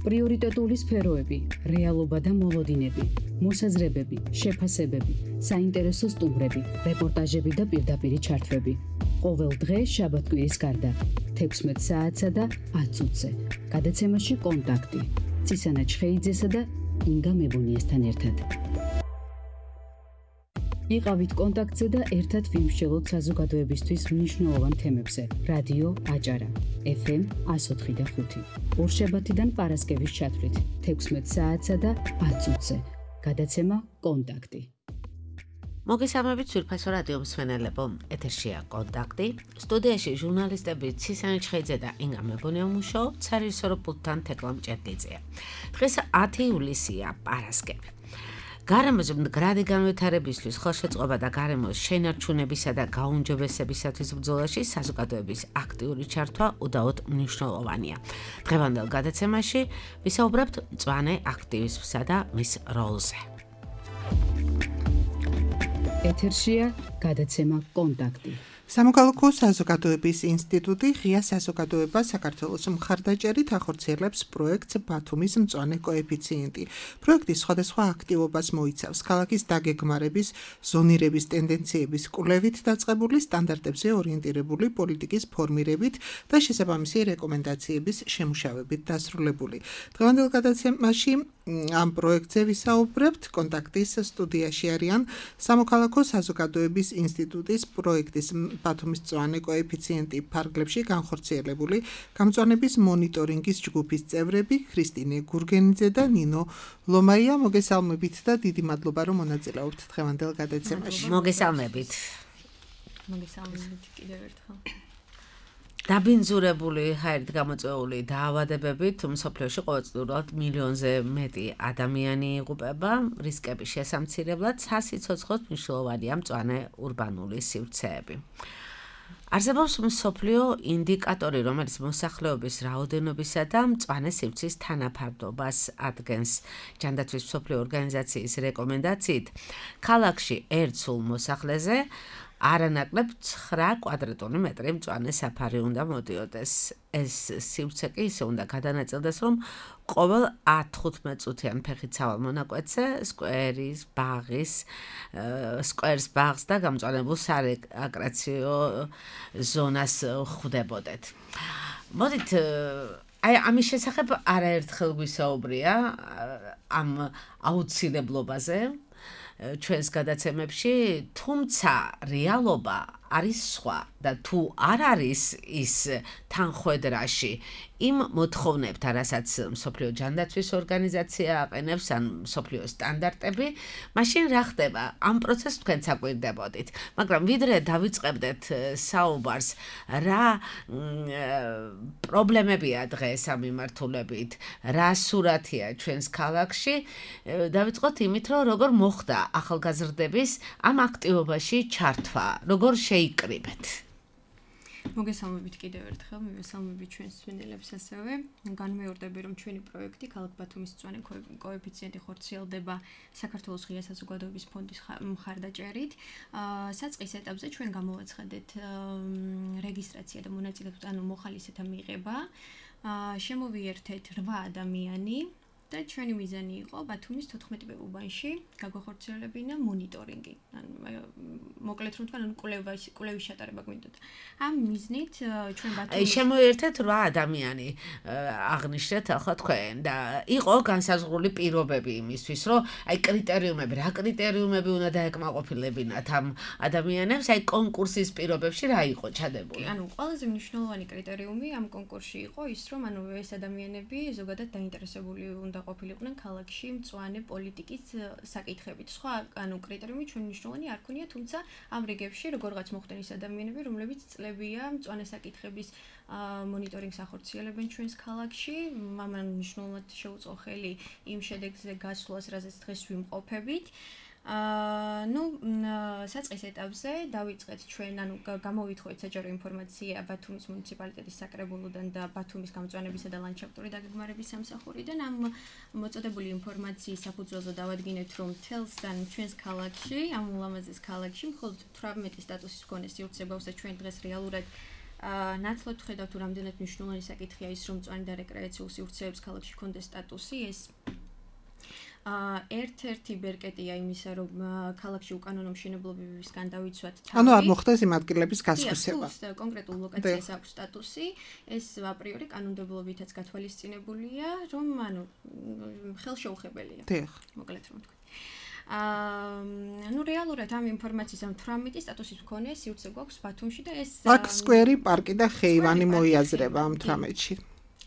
პრიორიტეტული სფეროები, რეალობა და მოლოდინები, მოსაზრებები, შეფასებები, საინტერესო სტუმრები, რეპორტაჟები და პირდაპირი ჩართვები. ყოველ დღე შაბათ-კვირის გარდა 16 საათსა და 10 წუთზე. გადაცემაში კონტაქტი. ცისანა ჩხეიძესა და ინგა მებუნიესთან ერთად. იყავით კონტაქტზე და ერთად ვიმსჯელოთ საზოგადოებისთვის მნიშვნელოვან თემებზე. რადიო აჭარა, FM 104.5. ორშაბათიდან პარასკევის ჩათვლით 16 საათსა და 10 წუთზე. გადაცემა კონტაქტი. მოგესალმებით სვირფასო რადიო მსმენელებო, ეთერშია კონტაქტი. სტუდიაში ჟურნალისტები ცისანა ჩხეიძე და ინგა მებუნია მუშაობთ, სარეჟისორო პულტთან თეკლა მჭედლიძეა. დღეს 10 ივლისია, პარასკევი. გარემოზე მდგრადი განვითარებისთვის, ხელშეწყობა და გარემოს შენარჩუნებისა და გაუმჯობესებისათვის ბრძოლაში საზოგადოების აქტიური ჩართვა უდაოდ მნიშვნელოვანია. დღევანდელ გადაცემაში ვისაუბრებთ მწვანე აქტივიზმსა და მის როლზე. ეთერშია გადაცემა კონტაქტი. სამოქალაქო საზოგადოების ინსტიტუტი ღია საზოგადოება საქართველოს მხარდაჭერით ახორციელებს პროექტს ბათუმის მწვანე კოეფიციენტი. პროექტი სხვადასხვა აქტივობას მოიცავს ქალაქის დაგეგმარების, ზონირების ტენდენციების კვლევით დაწყებული სტანდარტებზე ორიენტირებული პოლიტიკის ფორმირებით და შესაბამისი რეკომენდაციების შემუშავებით დასრულებული. დღევანდელ გადაცემაში ამ პროექტზე ვისაუბრებთ. კონტაქტის სტუდიაში არიან სამოქალაქო საზოგადოების ინსტიტუტის პროექტის ბათუმის მწვანე კოეფიციენტი ფარგლებში განხორციელებული გამწვანების მონიტორინგის ჯგუფის წევრები ქრისტინე გურგენიძე და ნინო ლომაია. მოგესალმებით და დიდი მადლობა რომ მონაწილეობთ დღევანდელ გადაცემაში. მოგესალმებით. მოგესალმებით კიდევ ერთხელ. დაბინძურებული ჰაერით გამოწვეული დაავადებებით მსოფლიოში ყოველწლიურად მილიონზე მეტი ადამიანი იღუპება. რისკების შესამცირებლად სასიცოცხლოდ მნიშვნელოვანია მწვანე ურბანული სივრცეები. არსებობს მსოფლიო ინდიკატორი, რომელიც მოსახლეობის რაოდენობისა და მწვანე სივრცის თანაფარდობას ადგენს. ჯანდაცვის მსოფლიო ორგანიზაციის რეკომენდაციით, ქალაქში ერთ სულ მოსახლეზე არანაკლებ 9 კვადრატული მეტრი მწვანე საფარი უნდა მოდიოდეს. ეს სივრცე კი ისე უნდა გადანაწილდეს, რომ ყოველ 10-15 წუთიან ფეხით სავალ მონაკვეთზე სკვერის ბაღს და გამწვანებულ სარეკრეაციო ზონას ხვდებოდეთ. მოდით ამის შესახებ არაერთხელ გვისაუბრია ამ აუცილებლობაზე ჩვენს გადაცემებში, თუმცა რეალობა არის სხვა და თუ არ არის ის თანხვედრაში იმ მოთხოვნებთან, რასაც მსოფლიო ჯანდაცვის ორგანიზაცია აყენებს, ან მსოფლიო სტანდარტები, მაშინ რა ხდება? ამ პროცესს თქვენ საკვირდებოდით. მაგრამ ვიდრე დავიწყებდეთ საუბარს, რა პრობლემებია დღეს ამ მიმართულებით, რა სურათია ჩვენს ქალაქში, დავიწყოთ იმით, რომ როგორ მოხდა ახალგაზრდების ამ აქტივობაში ჩართვა, როგორ შეიკრიბეთ. მოგესალმებით კიდევ ერთხელ, მივესალმებით ჩვენს მსმენელებს ასევე. განმეორდები, რომ ჩვენი პროექტი ქალაქ ბათუმის მწვანე კოეფიციენტი ხორციელდება საქართველოს ღია საზოგადოების ფონდის მხარდაჭერით. საწყის ეტაპზე ჩვენ გამოვაცხადეთ რეგისტრაცია და მონაწილეობა, ანუ მოხალისეთა მიღება. შემოვიერთეთ 8 ადამიანი. და ჩვენი მიზანი იყო ბათუმის 14 უბანში გაგვახორციელებინა მონიტორინგი. ანუ მოკლედ რომ თქვენ კვლევის ჩატარება გვინდათ. ამ მიზნით ჩვენ ბათუმის შემოერთეთ 8 ადამიანი აღნიშნეთ ახლა თქვენ და იყო განსაზღვრული პირობები იმისთვის, რომ აი კრიტერიუმები, რა კრიტერიუმები უნდა დაეკმაყოფილებინათ ამ ადამიანებს, აი კონკურსის პირობებში რა იყო ჩადებული? ანუ ყველაზე მნიშვნელოვანი კრიტერიუმი ამ კონკურსში იყო ის, რომ ანუ ეს ადამიანები ზოგადად დაინტერესებული უნდა ყოფილიყვნენ ქალაქში მწვანე პოლიტიკის საკითხებით. სხვა ანუ კრიტერიუმი ჩვენ მნიშვნელოვანი არ ქონია, თუმცა ამ რიგებში როგორღაც მოხდნენ ის ადამიანები, რომლებიც წლებია მწვანე საკითხების მონიტორინგს ახორციელებენ ჩვენს ქალაქში. მამან მნიშვნელოვნად შეუწყო ხელი იმ შედეგზე გასვლას, რაზეც დღეს ვიმყოფებით. საწყის ეტაპზე დავიწყეთ ჩვენ, ანუ გამოვითხოვეთ საჯარო ინფორმაცია ბათუმის მუნიციპალიტეტის საკრებულოდან და ბათუმის გამწვანებისა და ლანდშაფტური დაგეგმარების სამსახურიდან. ამ მოწოდებული ინფორმაციის საფუძველზე დავადგინეთ, რომ თელს ან ჩვენს ქალაქში, ამ ულამაზეს ქალაქში, მხოლოდ 18 სტატუსის მქონე სივრცე გვაქვს და ჩვენ დღეს რეალურად ნაცვლად ხედავთ, თუ რამდენად მნიშვნელოვანი საკითხია ის, რომ მწვანე და რეკრეაციულ სივრცეებს ქალაქში ჰქონდეს სტატუსი, ეს ერთ-ერთი ბერკეტია იმისა, რომ ქალაქში უკანონო მშენებლობებისგან დავიცვათ თავი. ანუ არ მოხდეს იმ ადგილების გასხვისება. კონკრეტულ ლოკაციას აქვს სტატუსი, ეს აპრიორი კანონმდებლობითაც გათვალისწინებულია, რომ ხელშეუხებელია. მოკლედ რომ ვთქვი. რეალურად ამ ინფორმაციის ამ 18 სტატუსის მქონე სივრცე გვაქვს ბათუმში და ეს სკვერი, პარკი და ხეივანი მოიაზრება ამ 18-ში.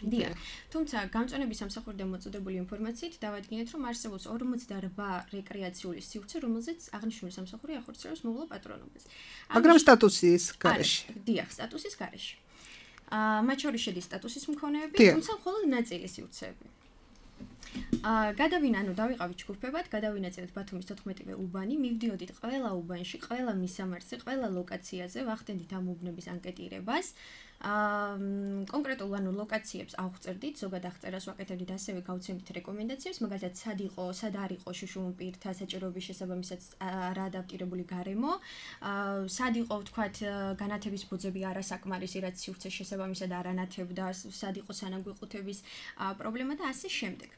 დიახ. თუმცა გამწვანების სამსახური და მოწოდებული ინფორმაციით დავადგინეთ, რომ არსებობს 48 რეკრეაციული სივრცე, რომელზეც აღნიშნული სამსახური ახორციელებს მოვლა პატრონობას. მაგრამ სტატუსის გარეშე. დიახ, სტატუსის გარეშე. მათ შორის შედის სტატუსის მქონეები, თუმცა მხოლოდ ნაწილი სივრცეები. გადავინა, დავიყავით ჯგუფებად, გადავინაწილეთ ბათუმის 14-ვე უბანი, მივდიოდით ყველა უბანში, ყველა მისამართზე, ყველა ლოკაციაზე, ვახდენდით ამ უბნების ანკეტირებას. კონკრეტულ ლოკაციებს ავღწევდით, ზოგად აღწერას ვაკეთებდით, ასევე გავცემდით რეკომენდაციებს, მაგალითად, სად არ იყო შუშუმ პირთა საჭიროების შესაბამისად რა ადაპტირებული გარემო, სად იყო, ვთქვათ, განათების ბოძები არასაკმარისი, რაც სივრცეს შესაბამისად არ ანათებდა, სად იყო სანაგვიყუთების პრობლემა და ასე შემდეგ.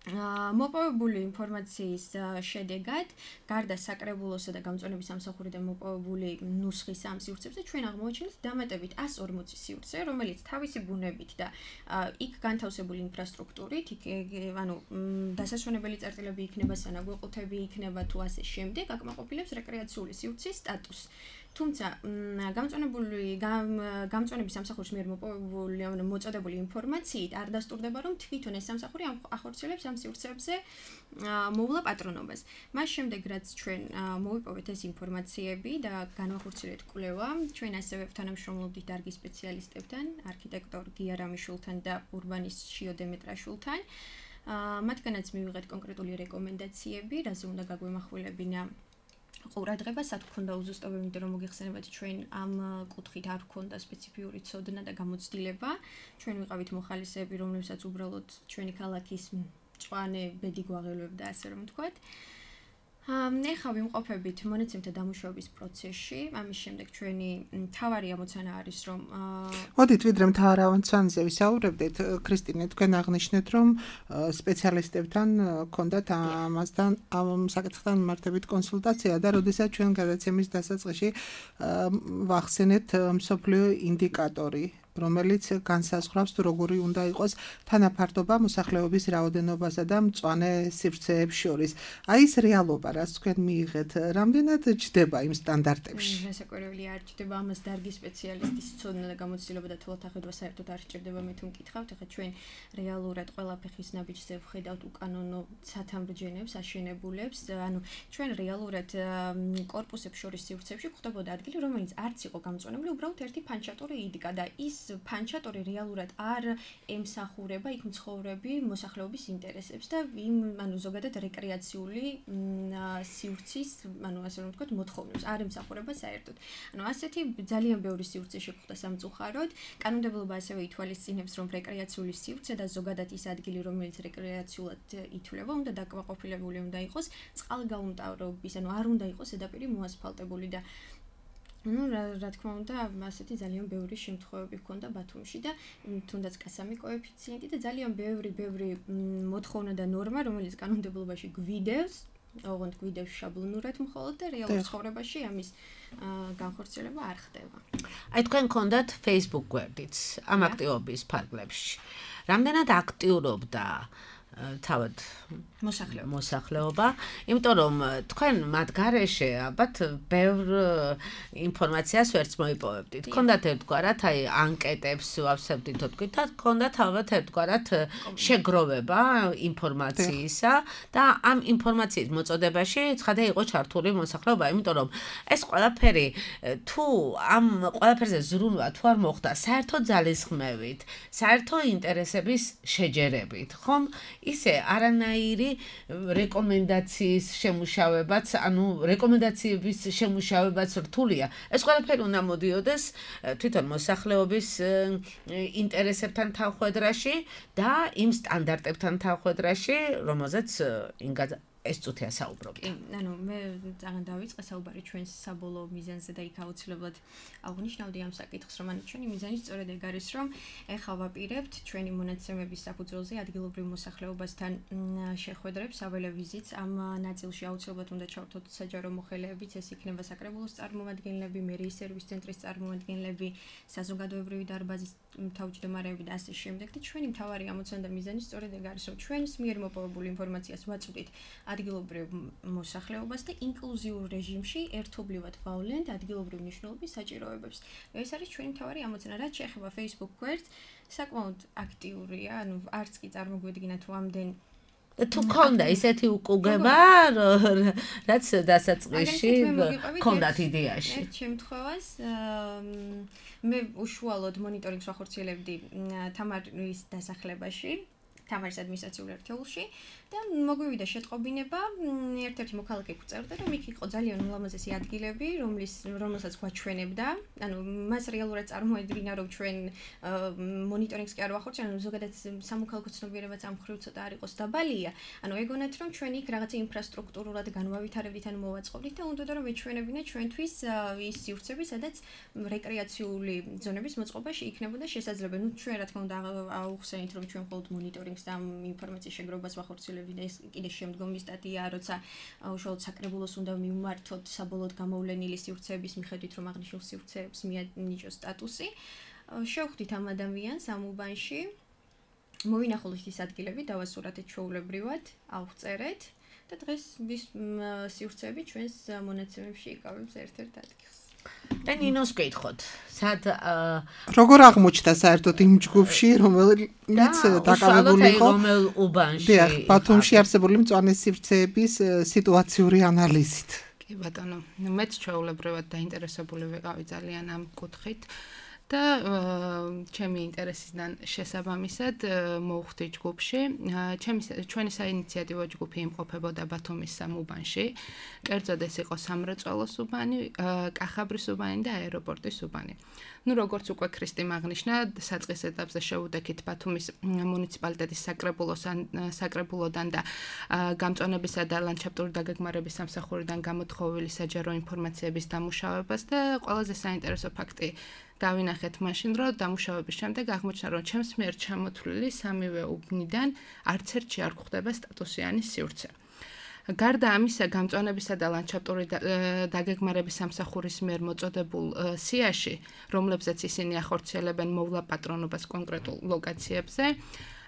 მოპოვებული ინფორმაციის შედეგად, გარდა საკრებულოსა და გამწვანების სამსახურიდან მოპოვებული ნუსხის ამ სივრცებზე, ჩვენ აღმოაჩინეთ დამატებით 140 სივრცე, რომელიც თავისი ბუნებით და იქ განთავსებული ინფრასტრუქტურით, დასასვენებელი წერტილები იქნება, სანაგვიყუთები იქნება თუ ასე შემდეგ, აკმაყოფილებს რეკრეაციული სივრცის სტატუსს. თუმცა გამწვანების სამსახურის მიერ მოპოვებული მოწოდებული ინფორმაციით არ დასტურდება, რომ თვითონ ეს სამსახური ახორციელებს ამ სივრცეებზე მოვლა პატრონობას. მას შემდეგ, რაც ჩვენ მოვიპოვეთ ეს ინფორმაციები და განვახორციელეთ კვლევა, ჩვენ ასევე თანამშრომლობდით დარგის სპეციალისტებთან, არქიტექტორ გია რამიშვილთან და ურბანისტ შიო დემეტრაშვილთან. მათგანაც მივიღეთ კონკრეტული რეკომენდაციები, რაზე უნდა გაგვემახვილებინა ყურადღება, სად გქონდა უზუსტობები, იმიტომ რომ მოგიხსენებათ, ჩვენ ამ კუთხით არ გქონდა სპეციფიური ცოდნა და გამოცდილება. ჩვენ ვიყავით მოხალისეები, რომლებსაც უბრალოდ ჩვენი ქალაქის მწვანე ბედი გვაღელვებდა, ასე რომ ვთქვათ. ეხლა ვიმყოფებით მონაცემთა დამუშავების პროცესში. ამის შემდეგ ჩვენი მთავარი ამოცანა არის, რომ მოდით ვიდრე მთავარ ამოცანაზე ვისაუბრებდით, ქრისტინე, თქვენ აღნიშნეთ, რომ სპეციალისტებთან გქონდათ ამასთან ამ საკითხთან მიმართებით კონსულტაცია და როდესაც ჩვენ გადაცემის დასაწყისში ვახსენეთ მსოფლიო ინდიკატორი, რომელიც განსაზღვრავს, თუ როგორი უნდა იყოს თანაფარდობა მოსახლეობის რაოდენობასა და მწვანე სივრცეებს შორის. აი ეს რეალობა, რაც თქვენ მიიღეთ, რამდენად ჯდება იმ სტანდარტებში? რასაკვირველია, არ ჯდება ამას დარგის სპეციალისტის ცოდნა და გამოცდილება და თვალთახედვა საერთოდ არ სჭირდება, მე თუ მკითხავთ, ახლა ჩვენ რეალურად ყველა ფეხის ნაბიჯზე ვხედავთ უკანონო ცათამბჯენებს, აშენებულებს, ჩვენ რეალურად კორპუსებს შორის სივრცეებში გვხვდებოდა ადგილი, რომელიც არც იყო გამწვანებული, უბრალოდ ერთი ფანჩატური იდგა და ის ფანჩატორი რეალურად არ ემსახურება იქ მცხოვრები მოსახლეობის ინტერესებს და ზოგადად რეკრეაციული სივრცის, ასე რომ ვთქვათ, მოთხოვნებს არ ემსახურება საერთოდ. ასეთი ძალიან ბევრი სივრცე შეგვხვდა სამწუხაროდ. კანონმდებლობა ასევე ითვალისწინებს, რომ რეკრეაციული სივრცე და ზოგადად ის ადგილი, რომელიც რეკრეაციულად ითვლება, უნდა დაკმაყოფილებული უნდა იყოს წყალგაუმტავრობის, არ უნდა იყოს ზედაპირი მოასფალტებული და რა თქმა უნდა, ასეთი ძალიან ბევრი შემთხვევები ჰქონდა ბათუმში და თუნდაც კასამი კოეფიციენტი და ძალიან ბევრი მოთხოვნა და ნორმა, რომელიც კანონმდებლობაში გვიდევს, ოღონდ გვიდევს შაბლონურად მხოლოდ და რეალურ ცხოვრებაში ამის განხორციელება არ ხდება. აი თქვენ გქონდათ Facebook გვერდიც ამ აქტივობის ფარგლებში. რამდენად აქტიურობდა თავად მოსახლეობა, იმიტომ რომ თქვენ მათ გარეშე ალბათ ბევრ ინფორმაციას ვერც მოიპოვებდით. გქონდათ ერთგვარად აი ანკეტებს ვავსებდით თქვით და გქონდათ ალბათ ერთგვარად შეგროვება ინფორმაციისა და ამ ინფორმაციის მოწოდებაში ცხადე იყო ჩართული მოსახლეობა, იმიტომ რომ ეს ყველაფერი თუ ამ ყველაფერზე ზრუნვა თუ არ მოხდა საერთო ძალისხმევით, საერთო ინტერესების შეჯერებით, ხომ ისე არანაირი რეკომენდაციის შემუშავებაც, რეკომენდაციების შემუშავებაც რთულია. ეს ყველაფერი უნდა მოდიოდეს თვითონ მოსახლეობის ინტერესებთან თანხვედრაში და იმ სტანდარტებთან თანხვედრაში, რომელზეც ეს წუთია საუბრობთ. კი, ანუ მე ძალიან დავიწყე საუბარი ჩვენს საბოლოო მიზანზე და იქ აუცილებლად აღნიშნავდი ამ საკითხს, რომ ჩვენი მიზანი სწორედ ეგ არის, რომ ეხლა ვაპირებთ ჩვენი მონაცემების საფუძველზე ადგილობრივ მოსახლეობასთან შეხვედრებს, საველე ვიზიტს. ამ ნაწილში აუცილებლად უნდა ჩავთვალოთ საჯარო მოხელეებიც, ეს იქნება საკრებულოს წარმომადგენლები, მერიის სერვის ცენტრის წარმომადგენლები, საზოგადოებრივი დარბაზის თავმჯდომარეები და ასე შემდეგ. და ჩვენი მთავარი ამოცანა და მიზანი სწორედ ეგ არის, რომ ჩვენს მიერ მოპოვებულ ინფორმაციას ვაწვდით ადგილობრივ მოსახლეობას და ინკლუზიურ რეჟიმში ერთობლივად ვავლენთ ადგილობრივ მნიშვნელობის საჭიროებებს. ეს არის ჩვენი მთავარი ამოცანა. რაც შეეხება Facebook გვერდს, საკმაოდ აქტიურია, ანუ არც კი წარმოგვიდგინა თუ ამდენ თუ ქონდა ისეთი უკუგება, რაც დასაწყისში ქონდათ იდეაში. ერთ შემთხვევას მე უშუალოდ მონიტორინგს ვახორციელებდი თამარის დასახლებაში, თამარის ადმინისტრაციულ ერთეულში და მოგვივიდა შეტყობინება, ერთ-ერთი მოქალაქე გვწერდა, რომ იქ იყო ძალიან ულამაზესი ადგილები, რომელსაც გვაჩვენებდა. ანუ მას რეალურად წარმოედგინა, რომ ჩვენ მონიტორინგს კი არ ვახორციელებთ, ანუ ზოგადად სამოქალაქო ცნობიერებაც ამ მხრივ ცოტა არ იყოს დაბალია. ანუ ეგონათ, რომ ჩვენ იქ რაღაცა ინფრასტრუქტურულად განვავითარებდით, ანუ მოვაწყობდით და უნდა რომ ეჩვენებინა ჩვენთვის ის სივრცები, სადაც რეკრეაციული ზონების მოწყობა იქნებოდა შესაძლებელი. ნუ ჩვენ რა თქმა უნდა აუხსენით, რომ ჩვენ მხოლოდ მონიტორინგს და ამ ინფორმაციის შეგროვებას ვახორციელებთ. ეს კიდე შემდგომი სტატია, როცა უშუალოდ საკრებულოს უნდა მივმართოთ საბოლოოდ გამოვლენილი სივრცეების მიხედვით, რომ აღნიშნულ სივრცეებს მიანიჭოს სტატუსი. შევხვდით ამ ადამიანს ამ უბანში, მოვინახულით ის ადგილები, დავასურათეთ ჩვეულებრივად, ავწერეთ და დღეს ის სივრცეები ჩვენს მონაცემებში იკავებს ერთ-ერთ ადგილს. და ნინოს გითხოთ, სად როგორ აღმოჩნდა საერთოდ იმ ჯგუფში, რომელიც დაკავებული იყო რომელ უბანში? დიახ, ბათუმში არსებული მწვანე სივრცეების სიტუაციური ანალიზით. კი ბატონო, მეც ჩვეულებრივად დაინტერესებული ვიყავი ძალიან ამ კუთხით. და ჩემი ინტერესიდან შესაბამისად მოვხვდი ჯგუფში. ჩვენი საინიციატივო ჯგუფი იმყოფებოდა ბათუმის სამ უბანში. კერძოდ ეს იყო სამრეწველოს უბანი, კახაბრის უბანი და აეროპორტის უბანი. ნუ როგორც უკვე ქრისტიმ აღნიშნა, საწყის ეტაპზე შევუდექით ბათუმის მუნიციპალიტეტის საკრებულოდან და გამწვანებისა და ლანდშაფტური დაგეგმარების სამსახურიდან გამოთხოვილი საჯარო ინფორმაციების დამუშავებას და ყველაზე საინტერესო ფაქტი დავინახეთ მაშინ, რომ დამუშავების შემდეგ აღმოჩნდა, რომ ჩემს მიერ ჩამოთვლილი სამივე უბნიდან არც ერთში არ გვხვდება სტატუსიანი სივრცე. გარდა ამისა, გამწვანებისა და ლანდშაფტური დაგეგმარების სამსახურის მიერ მოწოდებულ სიაში, რომლებზეც ისინი ახორციელებენ მოვლა პატრონობას კონკრეტულ ლოკაციებზე,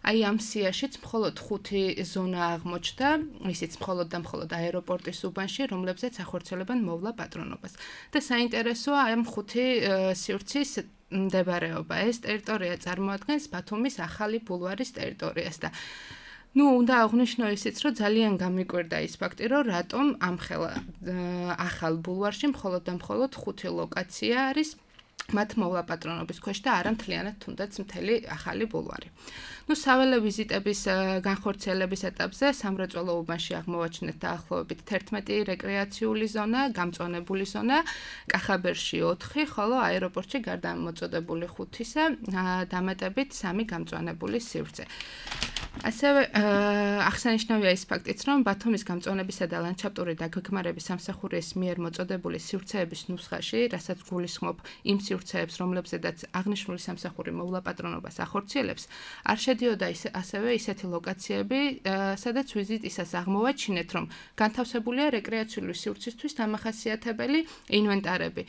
აი ამ სიაშიც მხოლოდ 5 ზონა აღმოჩნდა, ისიც მხოლოდ და მხოლოდ აეროპორტის უბანში, რომლებზეც ახორციელებენ მოვლა პატრონობას. და საინტერესოა ამ 5 სივრცის მდებარეობა. ეს ტერიტორია წარმოადგენს ბათუმის ახალი ბულვარის ტერიტორიას და უნდა აღვნიშნო ისიც, რომ ძალიან გამიკვირდა ის ფაქტი, რომ რატომ ამხელა ახალ ბულვარში მხოლოდ და მხოლოდ 5 ლოკაცია არის მათ მოვლა პატრონობის ქვეშ და არა მთლიანად თუნდაც მთელი ახალი ბულვარი. საველე ვიზიტების განხორციელების ეტაპზე სამრეწველო უბანში აღმოვაჩინეთ დაახლოებით 11 რეკრეაციული ზონა, გამწვანებული ზონა, კახაბერში 4, ხოლო აეროპორტში გარდა მოწოდებული 5-ისა, დამატებით 3 გამწვანებული სივრცე. ასევე აღსანიშნავია ის ფაქტიც, რომ ბათუმის გამწვანებისა და ლანდშაფტური დაგეგმარების სამსახურის მიერ მოწოდებული სივრცეების ნუსხაში, რასაც გულისხმობ იმ სივრცეებს, რომლებზედაც აღნიშნული სამსახური მოვლა პატრონობას ახორციელებს, არ შედიოდა ასევე ისეთი ლოკაციები, სადაც ვიზიტისას აღმოვაჩინეთ, რომ განთავსებულია რეკრეაციული სივრცისთვის დამახასიათებელი ინვენტარები.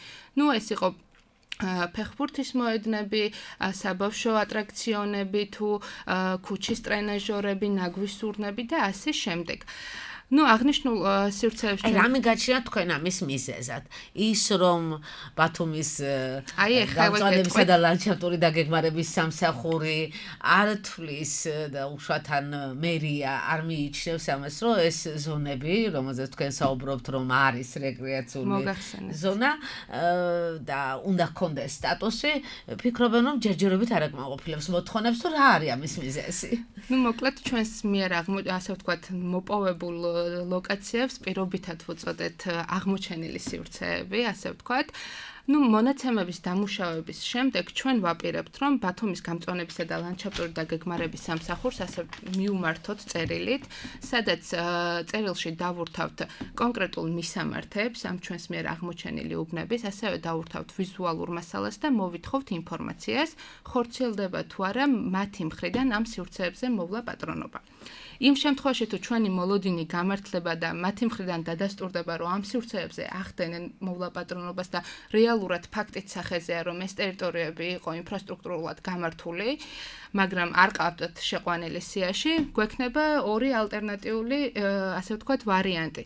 ეს იყო ფეხბურთის მოედნები, საბავშვო ატრაქციონები თუ ქუჩის ტრენაჟორები, ნაგვის სურნები და ასე შემდეგ. აღნიშნულ სივრცეებში რამე გაჩნია თქვენ ამის მიზეზად? ის რომ ბათუმის გამწვანებისა და ლანდშაფტური დაგეგმარების სამსახური არ თვლის და უშუალოდ მერია არ მიიჩნევს ამას, რომ ეს ზონები, რომელზეც თქვენ საუბრობთ, რომ არის რეკრეაციული ზონა და უნდა ჰქონდეს სტატუსი, ფიქრობენ, რომ ჯერჯერობით არ აკმაყოფილებს მოთხოვნებს, თუ რა არის ამის მიზეზი? მოკლედ ჩვენს მიერ ასე ვთქვათ, მოპოვებულ ლოკაციებს პირობითად ვუწოდეთ აღმოჩენილი სივრცეები, ასე ვთქვათ. ნუ მონაცემების დამუშავების შემდეგ ჩვენ ვაპირებთ, რომ ბათუმის გამწვანებისა და ლანდშაფტური დაგეგმარების სამსახურს ასე მიუმართოთ წერილით, სადაც წერილში დავურთავთ კონკრეტულ მისამართებს ამ ჩვენს მიერ აღმოჩენილი უბნების, ასევე დავურთავთ ვიზუალურ მასალას და მოვითხოვთ ინფორმაციას, ხორციელდება თუ არა მათი მხრიდან ამ სივრცეებზე მოვლა პატრონობა. იმ შემთხვევაში თუ ჩვენი მოლოდინი გამართლება და მათი მხრიდან დადასტურდება, რომ ამ სივრცეებზე ახდენენ მოვლა პატრონობას და რეალურად ფაქტით სახეზეა, რომ ეს ტერიტორიები იყო ინფრასტრუქტურულად გამართული, მაგრამ არ ყავდათ შეყვანილი სიაში, გვექნება ორი ალტერნატიული, ასე ვთქვათ, ვარიანტი.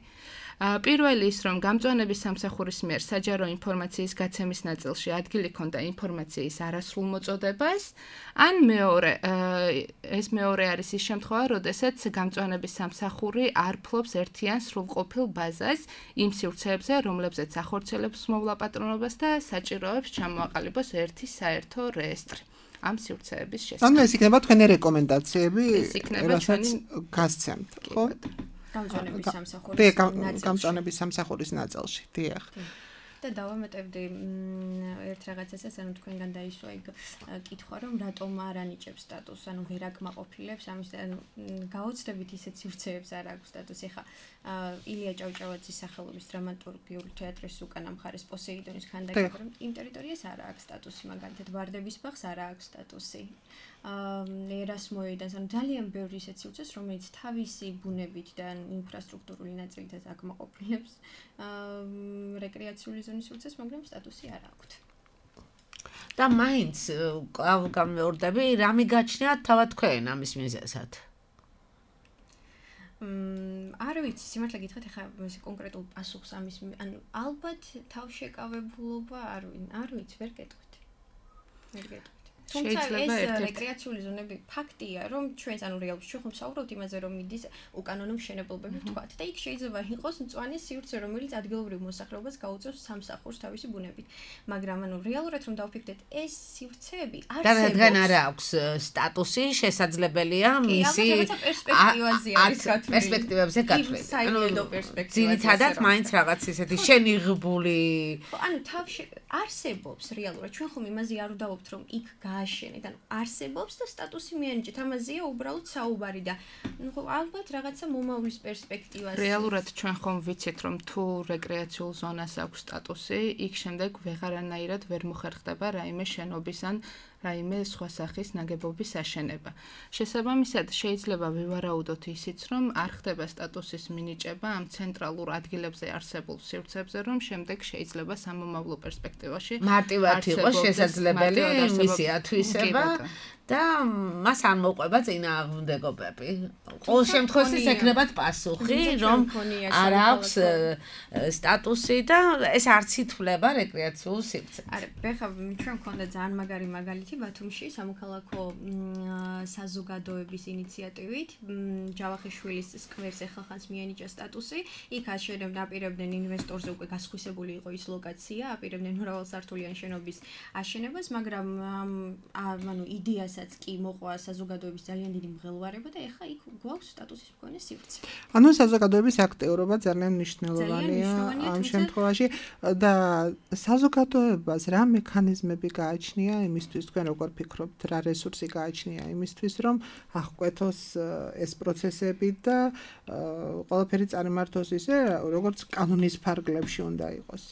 პირველი ის, რომ გამწვანების სამსახურის მიერ საჯარო ინფორმაციის გაცემის ნაწილში ადგილი ჰქონდა ინფორმაციის არასრულ მოწოდებას, ან ეს მეორე არის ის შემთხვევა, როდესაც გამწვანების სამსახური არ ფლობს ერთიან სრულყოფილ ბაზას იმ სივრცეებზე, რომლებზეც ახორციელებს მოვლა პატრონობას და საჭიროებს ჩამოაყალიბოს ერთი საერთო რეესტრი ამ სივრცეების შესახებ. ანუ ეს იქნება თქვენი რეკომენდაციები, რასაც გასცემთ, ხო? გამწვანების სამსახურის ნაწილში, დიახ. და დავამატებდი ერთ რაღაცასაც, ანუ თქვენგან დაისვა იქ კითხვა, რომ რატომ არ ანიჭებს სტატუსს, ანუ ვერ აკმაყოფილებს ამის, ანუ გაოცდებით ისეთ სივრცეებს არ აქვს სტატუსი. ხა ილია ჭავჭავაძის სახელობის დრამატურგიული თეატრის უკანა მხარეს პოსეიდონის ქანდაკება, რომ იმ ტერიტორიას არ აქვს სტატუსი, მაგალითად ვარდების ბაღს არ აქვს სტატუსი. ერასმოედანს, ანუ ძალიან ბევრი ისეთ სივრცეს, რომელიც თავისი ბუნებით და ინფრასტრუქტურული ნაწილითაც აკმაყოფილებს რეკრეაციული ზონის სივრცეს, მაგრამ სტატუსი არ აქვთ. და მაინც გამეორდები, რა მიგაჩნიათ თავად თქვენ ამის მიზეზად? არ ვიცი, სიმართლე გითხრათ, ეხლა ეს კონკრეტულ პასუხს ამის, ანუ ალბათ თავშეკავებულობა არ ვიცი, ვერ გეტყვით. თუმცა ეს რეკრეაციული ზონები ფაქტია, რომ ჩვენს ანუ რეალურად ჩვენ ხომ საუბრობთ იმაზე, რომ მიდის უკანონო მშენებლობები ვთქვათ და იქ შეიძლება იყოს მწვანე სივრცე, რომელიც ადგილობრივ მოსახლეობას გაუწევს სამსახურს თავისი ბუნებით. მაგრამ ანუ რეალურად რომ დავფიქრდეთ, ეს სივრცეები არსებობს. და რადგან არ აქვს სტატუსი, შესაძლებელია მისი პერსპექტივებზე გათვლილი. ანუ პერსპექტივაზე. ძირითადად მაინც რაღაც ისეთი შენიღბული. ანუ თავში არსებობს რეალურად. ჩვენ ხომ იმაზე არ ვდაობთ, რომ იქ გააშენეთ, ანუ არსებობს და სტატუსი მიანიჭეთ. ამაზეა უბრალოდ საუბარი და ხო ალბათ რაღაცა მომავლის პერსპექტივაზე. რეალურად ჩვენ ხომ ვიცით, რომ თუ რეკრეაციულ ზონას აქვს სტატუსი, იქ შემდეგ ვეღარანაირად ვერ მოხერხდება რაიმე შენობის ან რაიმე სხვა სახის ნაგებობის აშენება. შესაბამისად, შეიძლება ვივარაუდოთ ისიც, რომ არ ხდება სტატუსის მინიჭება ამ ცენტრალურ ადგილებზე არსებულ სივრცეებზე, რომ შემდეგ შეიძლება სამომავლო პერსპექტივაში მარტივად იყოს შესაძლებელი მისი ათვისება და მას არ მოყვება წინააღმდეგობები. ყოველ შემთხვევაში ეკნებათ პასუხი, რომ არ აქვს სტატუსი და ეს არც ითვლება რეკრეაციულ სივრცედ. არა, ბეხა ჩვენ მქონდა ძალიან მაგარი მაგალითი ბათუმში სამოქალაქო საზოგადოების ინიციატივით ჯავახიშვილის სკვერს ახალხანს მიანიჭა სტატუსი. იქ აპირებდნენ ინვესტორზე უკვე გასხვისებული იყო ის ლოკაცია, აპირებდნენ მრავალსართულიანი შენობის აშენებას, მაგრამ ანუ იდეასაც კი მოყვა საზოგადოების ძალიან დიდი მღელვარება და ეხლა იქ გვაქვს სტატუსის მქონე სივრცე. ანუ საზოგადოების აქტიურობა ძალიან მნიშვნელოვანია ამ შემთხვევაში და საზოგადოებას რა მექანიზმები გააჩნია იმისთვის, თქვენ როგორ ფიქრობთ, რა რესურსი გააჩნია იმისთვის, რომ აღკვეთოს ეს პროცესები და ყველაფერი წარმართოს ისე, როგორც კანონის ფარგლებში უნდა იყოს.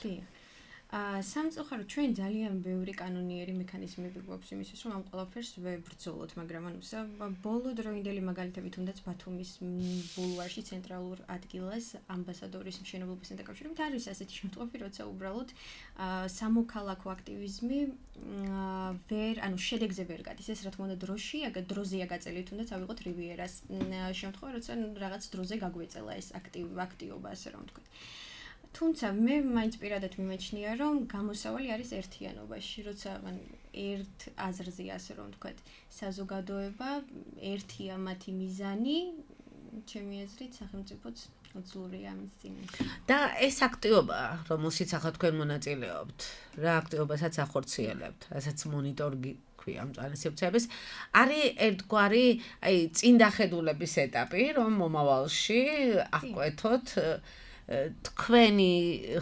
სამწუხაროდ ჩვენ ძალიან ბევრი კანონიერი მექანიზმები გვაქვს იმისთვის, რომ ამ ყველაფერს ვებრძოლოთ, მაგრამ ანუ ბოლო დროინდელი მაგალითები თუნდაც ბათუმის ბულვარში ცენტრალურ ადგილას ამბასადორის მშენებლობასთან დაკავშირებით არის ასეთი შემთხვევები, როცა უბრალოდ სამოქალაქო აქტივიზმი ანუ შედეგზე ვერ გადის. ეს რა თქმა უნდა დროზეა გაწეული, თუნდაც ავიღოთ რივიერას შემთხვევა, როცა რაღაც დროზე გაგვეწელა ეს აქტივობა, ასე რომ ვთქვათ. თუმცა მე მაინც პირადად მიმეჩნია, რომ გამოსავალი არის ერთიანობაში, როცა ერთ აზრზეა, ასე რომ ვთქვათ, საზოგადოება, ერთია მათი მიზანი, ჩემი აზრით, სახელმწიფოც უძლურია ამის წინაშე. და ეს აქტივობა, რომელშიც ახლა თქვენ მონაწილეობთ, რა აქტივობასაც ახორციელებთ, რასაც მონიტორინგი ქვია მწვანე სივრცეების, არის ერთგვარი, წინდახედულების ეტაპი, რომ მომავალში აღკვეთოთ თქვენი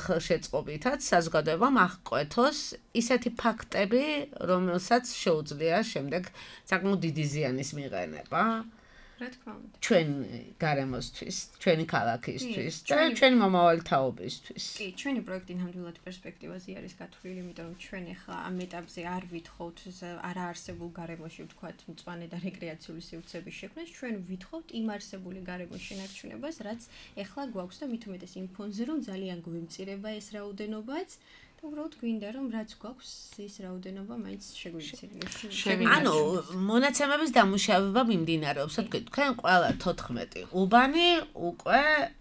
ხელშეწყობითაც საზოგადოებამ აღკვეთოს ისეთი ფაქტები, რომელსაც შეუძლია შემდეგ საკმაოდ დიდი ზიანის მიღენება. რა თქმა უნდა. ჩვენ გარემოსთვის, ჩვენი ქალაქისთვის და ჩვენი მომავალი თაობისთვის. კი, ჩვენი პროექტი ნამდვილად პერსპექტივაზე არის გათვლილი, იმიტომ რომ ჩვენ ახლა ამ ეტაპზე არ ვითხოვთ არაარსებულ გარემოში ვთქვათ მწვანე და რეკრეაციული სივრცეების შექმნას, ჩვენ ვითხოვთ იმ არსებული გარემოს შენარჩუნებას, რაც ახლა გვაქვს და მით უმეტეს იმ ფონზე, რომ ძალიან გვიმწირება ეს რაოდენობაც. და უბრალოდ გვინდა რომ რაც გვაქვს ის რაოდენობა მაინც შეგვიცირდეს. ანუ მონაცემების დამუშავება მიმდინარეობს, თქვენ ყველა 14 უბანი უკვე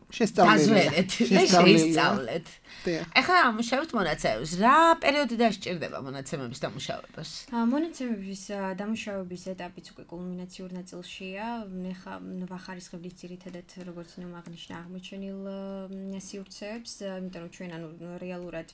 შესწავლეთ. ეხლა ამუშავებთ მონაცემებს. რა პერიოდი დასჭირდება მონაცემების დამუშავებას? მონაცემების დამუშავების ეტაპიც უკვე კულმინაციურ ნაწილშია. ეხლა ვახარისხებთ ძირითადად როგორც აღნიშნა აღმოჩენილ სივრცეებს, იმიტომ რომ ჩვენ რეალურად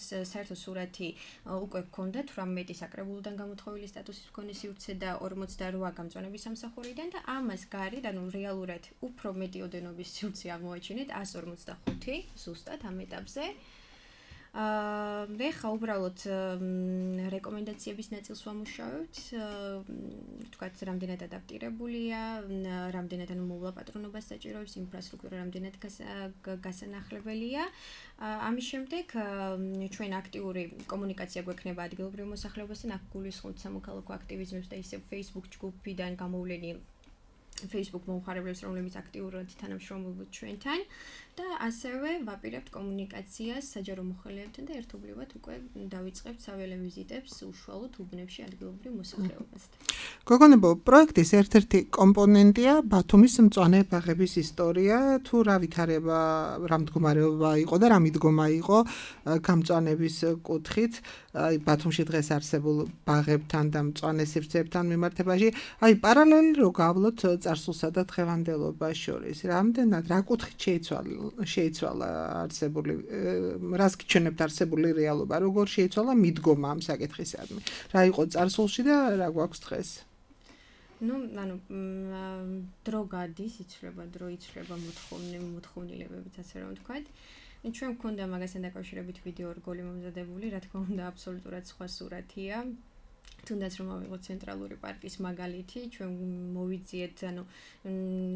საერთო სურათი უკვე გქონდათ 18 საკრებულოდან გამოთხოვილი სტატუსის მქონე სივრცე და 48 გამწვანების სამსახურიდან და ამას გარეთ, ანუ რეალურად უფრო მეტი ოდენობის სივრცე აღმოაჩინეთ 145 ზუსტად ამ ეტაპზე. ეხლა უბრალოდ რეკომენდაციების ნაწილს ვამუშავებთ, თქვათ, რამდენად ადაპტირებულია, რამდენად მოვლა პატრონობას საჭიროებს, ინფრასტრუქტურა რამდენად გასანახლებელია. ამის შემდეგ ჩვენ აქტიური კომუნიკაცია გვექნება ადგილობრივ მოსახლეობასთან, აქ გულისხმობთ სამოქალაქო აქტივიზმებს და ისევ Facebook ჯგუფიდან გამოვლენილ Facebook მომხმარებლებს, რომლებიც აქტიურად თანამშრომლობენ ჩვენთან და ასევე ვაპირებთ კომუნიკაციას საჯარო მოხელეებთან და ერთობლივად უკვე დავიწყებთ საველე ვიზიტებს უშუალოდ უბნებში ადგილობრივ მოსახლეობასთან. გოგონებო, პროექტის ერთ-ერთი კომპონენტია ბათუმის მწვანე ბაღების ისტორია, თუ რა ვითარება, რა მდგომარეობა იყო და რა მიდგომა იყო გამწვანების კუთხით, ბათუმში დღეს არსებულ ბაღებთან და მწვანე სივრცეებთან მიმართებაში, პარალელი რო გავლოთ წარსულსა და დღევანდელობას შორის. რამდენად რა კუთხით შეიცვალა არსებული, რას გიჩვენებთ არსებული რეალობა, როგორ შეიცვალა მიდგომა ამ საკითხისადმი. რა იყო წარსულში და რა გვაქვს დღეს? დრო გადის, დრო იცვლება მოთხოვნილებებით, ასე რომ ვთქვათ. ჩვენ გვქონდა მაგასთან დაკავშირებით ვიდეო რგოლი მომზადებული, რა თქმა უნდა, აბსოლუტურად სხვა სურათია. თუნდაც რომ ავიღოთ ცენტრალური პარკის მაგალითი, ჩვენ მოვიძიეთ,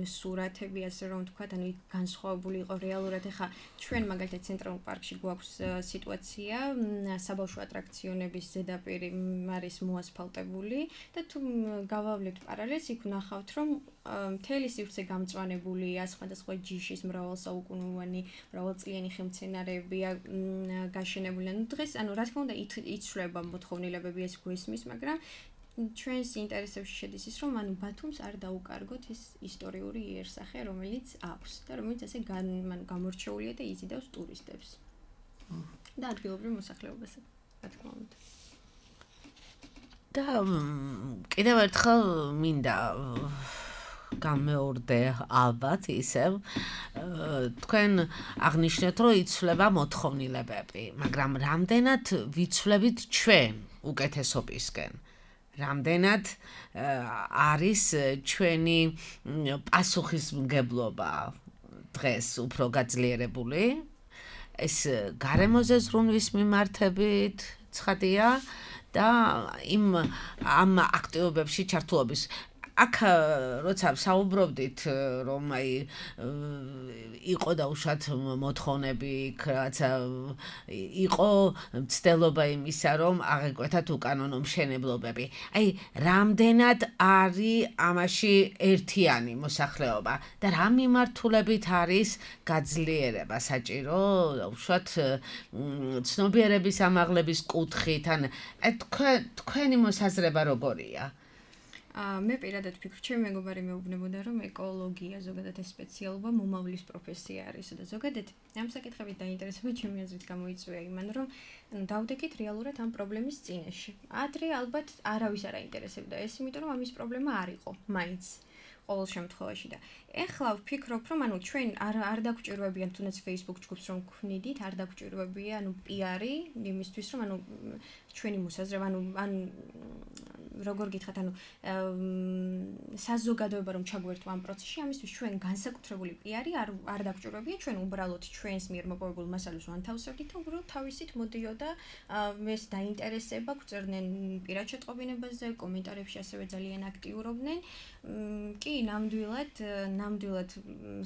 სურათები, ასე რომ ვთქვათ, განსხვავებული იყო რეალურად. ეხლა ჩვენ მაგალითად ცენტრალურ პარკში გვაქვს სიტუაცია, საბავშვო ატრაქციონების ზედაპირი არის მოასფალტებული და თუ გავავლებთ პარალელს, იქ ვნახავთ, რომ მთელი სივრცე გამწვანებულია, სხვადასხვა ჯიშის მრავალსაუკუნოვანი, მრავალწლიანი ხელმცენარეებია გაშენებული. დღეს, რა თქმა უნდა, იცვლება მოთხოვნილებები, ეს გვესმის, მაგრამ ჩვენს ინტერესებში შედის ის, რომ ბათუმს არ დაუკარგოთ ის ისტორიული იერსახე, რომელიც აქვს და რომელიც ასე გამორჩეულია და იზიდავს ტურისტებს და ადგილობრივ მოსახლეობას, რა თქმა უნდა. და კიდევ ერთხელ მინდა გამეორდე ალბათ ისევ თქვენ აღნიშნეთ, რომ იცვლება მოთხოვნილებები, მაგრამ რამდენად ვიცვლებით ჩვენ უკეთესობისკენ? რამდენად არის ჩვენი პასუხისმგებლობა დღეს უფრო გაძლიერებული? ეს გარემოზე ზრუნვის მიმართებით ცხადია და ამ აქტივობებში ჩართულობის. აქ როცა საუბრობდით, რომ იყო დაუშვათ მოთხოვნები, რაცა იყო მცდელობა იმისა, რომ აღეკვეთათ უკანონო მშენებლობები. რამდენად არის ამაში ერთიანი მოსახლეობა და რა მიმართულებით არის გაძლიერება საჭირო, დაუშვათ ცნობიერების ამაღლების კუთხით, თქვენი მოსაზრება როგორია? მე პირადად ვფიქრობ, ჩემი მეგობარი მეუბნებოდა, რომ ეკოლოგია ზოგადად ეს სპეციალობა მომავლის პროფესია არის და ზოგადად ამ საკითხებით დაინტერესება ჩემი აზრით გამოიწვია იმან, რომ დავდექით რეალურად ამ პრობლემის წინაშე. ადრე ალბათ არავის არ აინტერესებდა ეს, იმიტომ რომ ამის პრობლემა არ იყო მაინც ყოველ შემთხვევაში და ეხლა ვფიქრობ, რომ ჩვენ არ დაგვჭირვებიან თუნდაც Facebook ჯგუფს რომ გვქნიდით, არ დაგვჭირვებია PR-ი იმისთვის, რომ ჩვენი მოსაზრება, როგორ გითხრათ, ანუ საზოგადოება რომ ჩაგვერთვა ამ პროცესში, ამისთვის ჩვენ განსაკუთრებული პიარი არ დაგჭირებია, ჩვენ უბრალოდ ჩვენს მიერ მოპოვებულ მასალას ვანთავსებდით და უბრალოდ თავისით მოდიოდა ეს დაინტერესება, გვწერდნენ პირად შეტყობინებაზე, კომენტარებში ასევე ძალიან აქტიურობდნენ. კი, ნამდვილად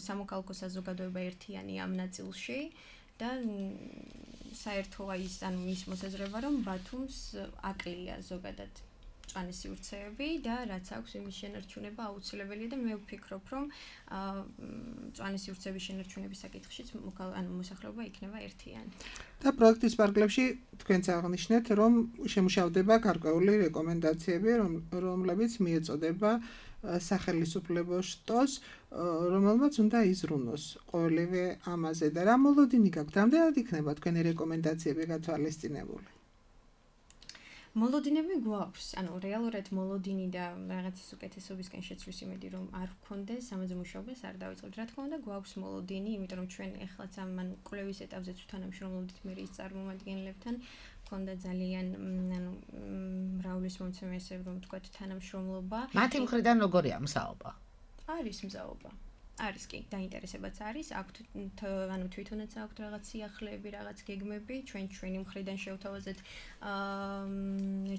სამოქალაქო საზოგადოება ერთიანი ამ ნაწილში და საერთო ის მოსაზრება რომ ბათუმს აკლია ზოგადად მწვანე სივრცეები და რაც აქვს იმის შენარჩუნება აუცილებელია და მე ვფიქრობ რომ მწვანე სივრცეების შენარჩუნების საკითხშიც მოსახლეობა იქნება ერთიანი. და პროექტის პარკლებში თქვენც აღნიშნეთ რომ შემუშავდება გარკვეული რეკომენდაციები რომლებიც მიეწოდება სახელმწიფო შტოს რომელმაც უნდა იზრუნოს ყოველივე ამაზე და რა მოლოდინი გაქვთ? რამდენად იქნება თქვენი რეკომენდაციები გათვალისწინებული? მოლოდინები გვაქვს, ანუ რეალურად მოლოდინი და რაღაცის უკეთესობისკენ შეცვლის იმედი რომ არ გქონდეს, ამაზე მუშაობას არ დავიწყებთ. რა თქმა უნდა, გვაქვს მოლოდინი, იმიტომ რომ ჩვენ ეხლაც ამ კვლევის ეტაპზეც ვთანამშრომლობდით მერის წარმომადგენლებთან. ქონდა ძალიან მრავლის მომცემი ესე რომ თქვათ თანამშრომლობა. მათი მხრიდან როგორია მზაობა? არის მზაობა. არის კი, დაინტერესებაც არის, აქვთ თვითონაც აქვთ რაღაც სიახლეები, რაღაც გეგმები, ჩვენი მხრიდან შევთავაზეთ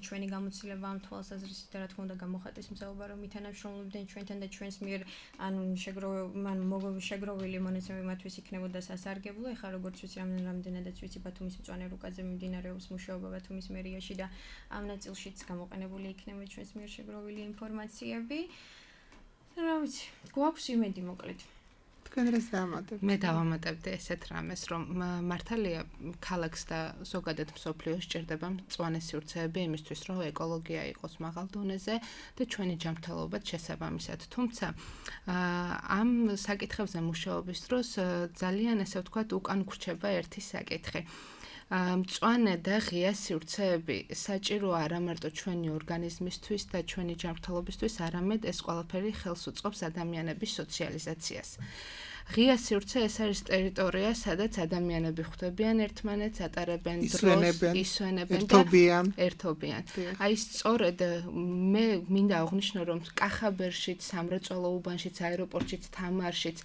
ჩვენი გამოცდილება ამ თვალსაზრისით და რა თქმა უნდა გამოხატეს მზაობა რომ ითანამშრომლობდნენ ჩვენთან და ჩვენს მიერ შეგროვილი მონაცემები მათთვის იქნებოდა სასარგებლო. ეხლა როგორც ვიცი, რამდენადაც ვიცი ბათუმის მწვანე რუკაზე მიმდინარეობს მუშაობა ბათუმის მერიაში და ამ ნაწილშიც გამოყენებული იქნება ჩვენს მიერ შეგროვილი ინფორმაციები. რა ვიცი, გვაქვს იმედი მოკლედ. თქვენ რას დაამატებთ? მე დავამატებდი ესეთ რამეს, რომ მართალია ქალაქს და ზოგადად მსოფლიოს სჭირდება მწვანე სივრცეები იმისთვის, რომ ეკოლოგია იყოს მაღალ დონეზე და ჩვენი ჯანმრთელობაც შესაბამისად. თუმცა ამ საკითხებზე მუშაობის დროს ძალიან ესე ვთქვათ უკან გრჩება ერთი საკითხი. მწვანე და ღია სივრცეები საჭიროა არა მარტო ჩვენი ორგანიზმისთვის და ჩვენი ჯანმრთელობისთვის, არამედ ეს ყველაფერი ხელს უწყობს ადამიანების სოციალიზაციას. ღია სივრცე ეს არის ტერიტორია, სადაც ადამიანები ხვდებიან ერთმანეთს, ატარებენ დროს, ისვენებენ და ერთობიან. აი სწორედ მე მინდა აღვნიშნო, რომ კახაბერშიც, სამრეწველო უბანშიც, აეროპორტშიც, თამარშიც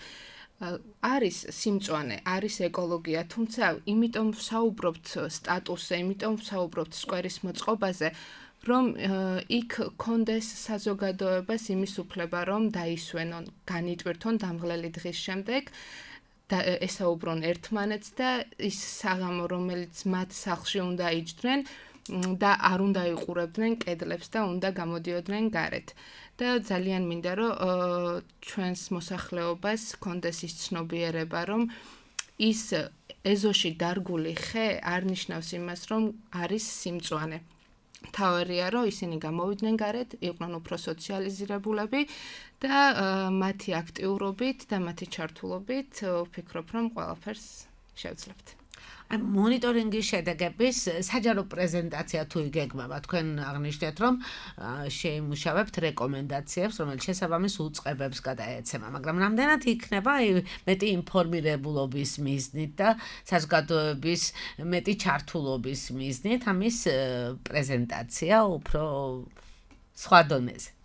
არის სიმწვანე, არის ეკოლოგია, თუმცა იმიტომ ვსაუბრობთ სტატუსზე, იმიტომ ვსაუბრობთ სკვერის მოწყობაზე, რომ იქ კონდეს საზოგადოებას იმის უფლება, რომ დაისვენონ, განიტვირთონ დამღლელი დღის შემდეგ და ესაუბრონ ერთმანეთს და ის საღამო, რომელიც მათ სახლში უნდა იჯდნენ და არ უნდა იყურებდნენ კედლებს და უნდა გამოდიოდნენ გარეთ. და ძალიან მინდა რომ ჩვენს მოსახლეობას კონდეს ის ცნობიერება რომ ის ეზოში დარგული ხე არ ნიშნავს იმას რომ არის სიმწვანე. თავარია რომ ისინი გამოვიდნენ გარეთ, იყვნენ უფრო სოციალიზირებულები და მათი აქტიურობით და მათი ჩართულობით ვფიქრობ რომ ყველაფერს შევძლებთ. მონიტორინგის შედეგების საჯარო პრეზენტაცია თუ იგეგმება, თქვენ აღნიშნეთ, რომ შეიმუშავებთ რეკომენდაციებს, რომელიც შესაბამის უწყებებს გადაეცემა, მაგრამ რამდენად იქნება მეტი ინფორმირებულობის მიზნით და საზოგადოების მეტი ჩართულობის მიზნით ამის პრეზენტაცია უფრო სხვა დონეზე?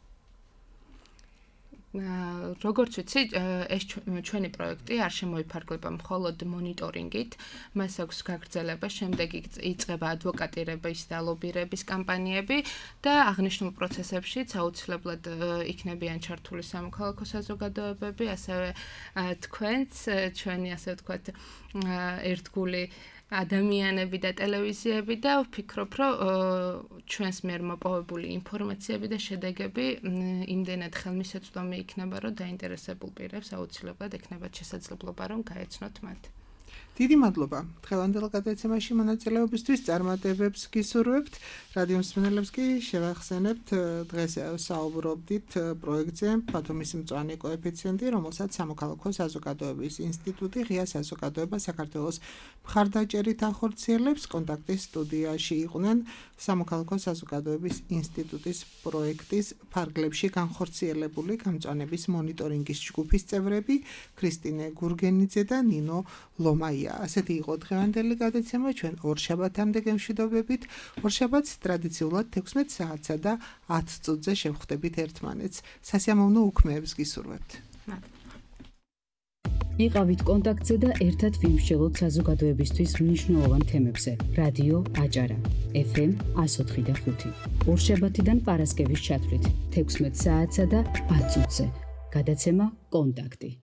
როგორც ვიცი, ეს ჩვენი პროექტი არ შემოიფარგლება მხოლოდ მონიტორინგით, მას აქვს გაგრძელება, შემდეგ იწყება ადვოკატირების და ლობირების კამპანიები და აღნიშნულ პროცესებშიც აუცილებლად იქნებიან ჩართული სამოქალაქო საზოგადოებები, ასევე თქვენც, ჩვენი ასე ვთქვათ, ერთგული ადამიანები და ტელევიზიები და ვფიქრობ, რომ ჩვენს მიერ მოპოვებული ინფორმაციები და შედეგები იმდენად ხელმისაწვდომი იქნება, რომ დაინტერესებულ პირებს აუცილებლად ექნებათ შესაძლებლობა, რომ გაეცნოთ მათ. დიდი მადლობა დღევანდელ გადაცემაში მონაწილეობისთვის, წარმატებებს გისურვებთ. რადიო მსმენელებს კი შევახსენებთ, დღეს საუბრობდით პროექტზე ბათუმის მწვანე კოეფიციენტი, რომელსაც სამოქალაქო საზოგადოების ინსტიტუტი ღია საზოგადოება საქართველოს მხარდაჭერით ახორციელებს. კონტაქტის სტუდიაში იყვნენ სამოქალაქო საზოგადოების ინსტიტუტის პროექტის ფარგლებში განხორციელებული გამწვანების მონიტორინგის ჯგუფის წევრები ქრისტინე გურგენიძე და ნინო ლომა. მაია. ასეთი იყო დღევანდელი გადაცემა, ჩვენ ორშაბათამდე გემშვიდობებით. ორშაბათს ტრადიციულად 16 საათსა და 10 წუთზე შევხვდებით ერთმანეთს. სასიამოვნო უქმეებს გისურვებთ. იყავით კონტაქტზე და ერთად ვიმსჯელოთ საზოგადოებისთვის მნიშვნელოვან თემებზე. რადიო აჭარა FM 104.5. ორშაბათიდან პარასკევის ჩათვლით 16 საათსა და 10 წუთზე. გადაცემა კონტაქტი.